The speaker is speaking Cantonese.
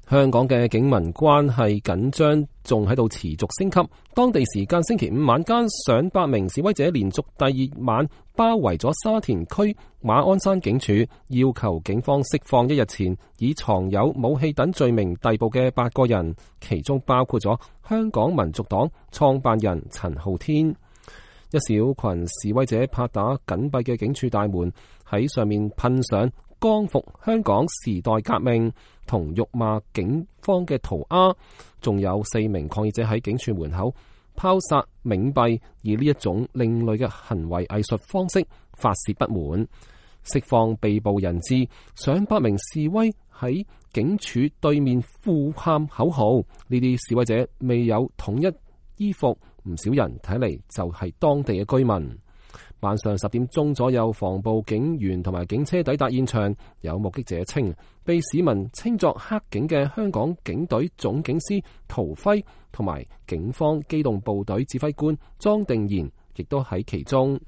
香港嘅警民關係緊張仲喺度持續升級。當地時間星期五晚間，上百名示威者連續第二晚包圍咗沙田區馬鞍山警署，要求警方釋放一日前以藏有武器等罪名逮捕嘅8個人，其中包括咗香港民族黨創辦人陳浩天。一小群示威者拍打緊閉嘅警署大門，喺上面噴上光復香港時代革命同辱罵警方嘅塗鴉，仲有4名抗議者喺警署門口拋灑冥幣，以呢一種另類嘅行為藝術方式發洩不滿，釋放被捕人質。上百名示威喺警署對面呼喊口號，呢啲示威者未有統一衣服，唔少人睇嚟就係當地嘅居民。晚上10點鐘左右，防暴警員同埋警車抵達現場。有目擊者稱，被市民稱作黑警嘅香港警隊總警司陶輝同埋警方機動部隊指揮官莊定賢亦都喺其中。